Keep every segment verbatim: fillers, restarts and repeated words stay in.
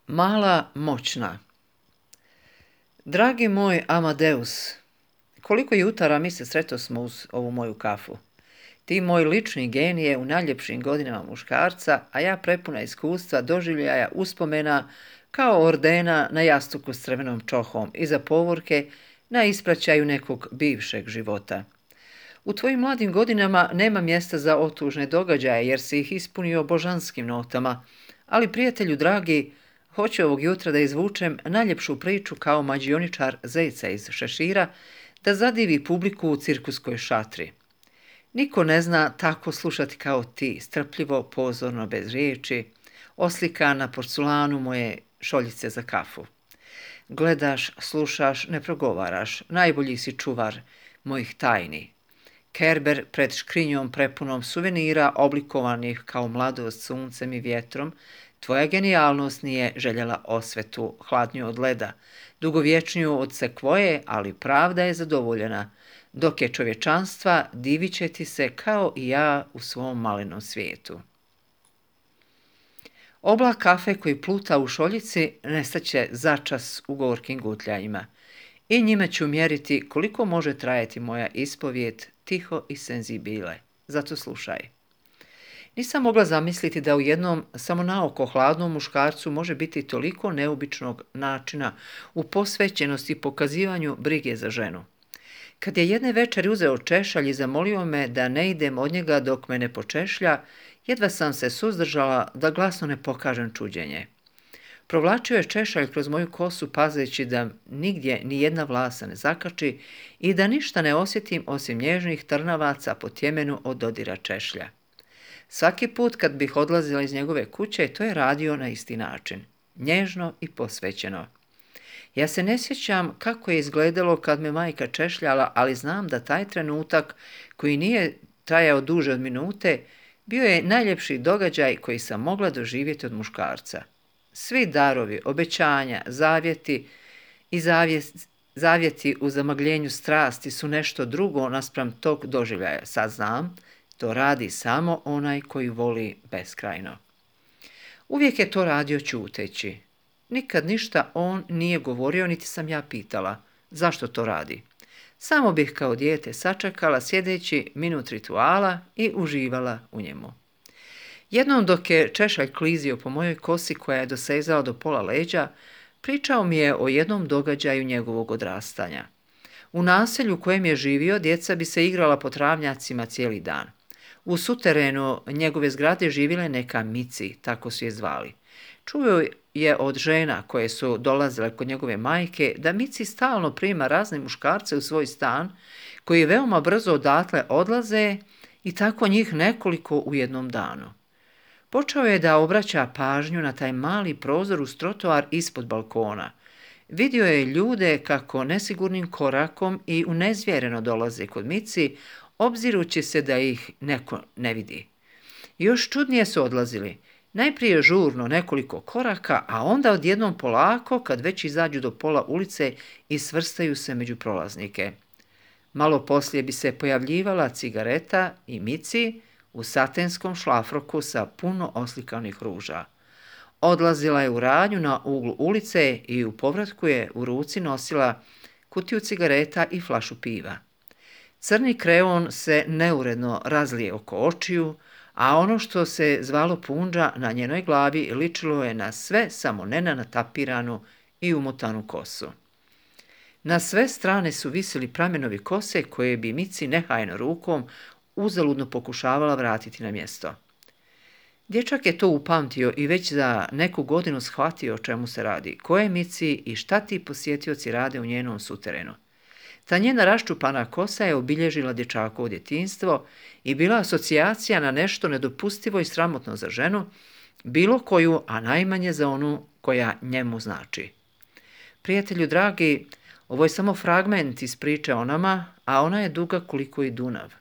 Mala moćna. Dragi moj Amadeus, koliko jutara mi se sretosmo uz ovu moju kafu. Ti moj lični genije u najljepšim godinama muškarca, a ja prepuna iskustva, doživljaja, uspomena, kao ordena na jastuku s crvenom čohom iza povorke na ispraćaju nekog bivšeg života. U tvojim mladim godinama nema mjesta za otužne događaje jer si ih ispunio božanskim notama, ali prijatelju dragi, hoću ovog jutra da izvučem najljepšu priču kao mađioničar zeca iz šešira, da zadivi publiku u cirkuskoj šatri. Niko ne zna tako slušati kao ti, strpljivo, pozorno, bez riječi, oslika na porculanu moje šoljice za kafu. Gledaš, slušaš, ne progovaraš, najbolji si čuvar mojih tajni. Kerber pred škrinjom prepunom suvenira oblikovanih kao mladost suncem i vjetrom, tvoja genijalnost nije željela osvetu hladnju od leda, dugovječniju od sekvoje, ali pravda je zadovoljena, dok je čovječanstva divit će ti se kao i ja u svom malenom svijetu. Oblak kafe koji pluta u šoljici nestaće začas u gorkim gutljanjima i njime ću mjeriti koliko može trajati moja ispovijed tiho i senzibile. Zato slušaj. Nisam mogla zamisliti da u jednom samo naoko hladnom muškarcu može biti toliko neobičnog načina u posvećenosti i pokazivanju brige za ženu. Kad je jedne večeri uzeo češalj i zamolio me da ne idem od njega dok me ne počešlja, jedva sam se suzdržala da glasno ne pokažem čuđenje. Provlačio je češalj kroz moju kosu pazeći da nigdje ni jedna vlasa ne zakači i da ništa ne osjetim osim nježnih trnavaca po tjemenu od dodira češlja. Svaki put kad bih odlazila iz njegove kuće, to je radio na isti način, nježno i posvećeno. Ja se ne sjećam kako je izgledalo kad me majka češljala, ali znam da taj trenutak, koji nije trajao duže od minute, bio je najljepši događaj koji sam mogla doživjeti od muškarca. Svi darovi, obećanja, zavjeti i zavjeti, zavjeti u zamagljenju strasti su nešto drugo naspram tog doživljaja. Sad znam, to radi samo onaj koji voli beskrajno. Uvijek je to radio ćuteći. Nikad ništa on nije govorio, niti sam ja pitala zašto to radi. Samo bih kao dijete sačekala sjedeći minut rituala i uživala u njemu. Jednom dok je češalj klizio po mojoj kosi koja je dosezala do pola leđa, pričao mi je o jednom događaju njegovog odrastanja. U naselju u kojem je živio, djeca bi se igrala po travnjacima cijeli dan. U suterenu njegove zgrade živjela je neka Mici, tako su je zvali. Čuo je od žena koje su dolazile kod njegove majke da Mici stalno prima razne muškarce u svoj stan, koji veoma brzo odatle odlaze i tako njih nekoliko u jednom danu. Počeo je da obraća pažnju na taj mali prozor uz trotoar ispod balkona. Vidio je ljude kako nesigurnim korakom i unezvjereno dolaze kod Mici, obzirući se da ih neko ne vidi. Još čudnije su odlazili. Najprije žurno nekoliko koraka, a onda odjednom polako kad već izađu do pola ulice i svrstaju se među prolaznike. Malo poslije bi se pojavljivala cigareta i Mici u satenskom šlafroku sa puno oslikanih ruža. Odlazila je u radnju na uglu ulice i u povratku je u ruci nosila kutiju cigareta i flašu piva. Crni kreon se neuredno razlije oko očiju, a ono što se zvalo punđa na njenoj glavi ličilo je na sve samo ne na natapiranu i umotanu kosu. Na sve strane su visili pramenovi kose koje bi Mici nehajno rukom uzaludno pokušavala vratiti na mjesto. Dječak je to upamtio i već za neku godinu shvatio o čemu se radi, koje Mici i šta ti posjetioci rade u njenom suterenu. Ta njena raščupana kosa je obilježila dječakovo djetinjstvo i bila asocijacija na nešto nedopustivo i sramotno za ženu, bilo koju, a najmanje za onu koja njemu znači. Prijatelju dragi, ovo je samo fragment iz priče o nama, a ona je duga koliko i Dunav.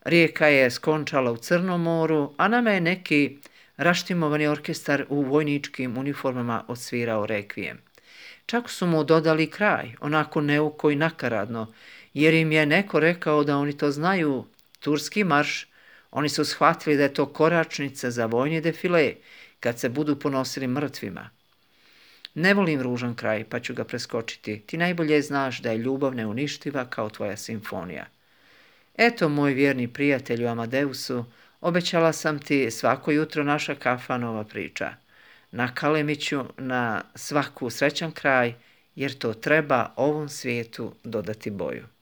Rijeka je skončala u Crnom moru, a nama je neki raštimovani orkestar u vojničkim uniformama odsvirao rekvijem. Čak su mu dodali kraj, onako neuko i nakaradno, jer im je neko rekao da oni to znaju, turski marš. Oni su shvatili da je to koračnica za vojni defile, kad se budu ponosili mrtvima. Ne volim ružan kraj, pa ću ga preskočiti. Ti najbolje znaš da je ljubav neuništiva kao tvoja simfonija. Eto, moj vjerni prijatelju Amadeusu, obećala sam ti svako jutro naša kafa nova priča. Na Kalemiću na svaku srećan kraj, jer to treba ovom svijetu dodati boju.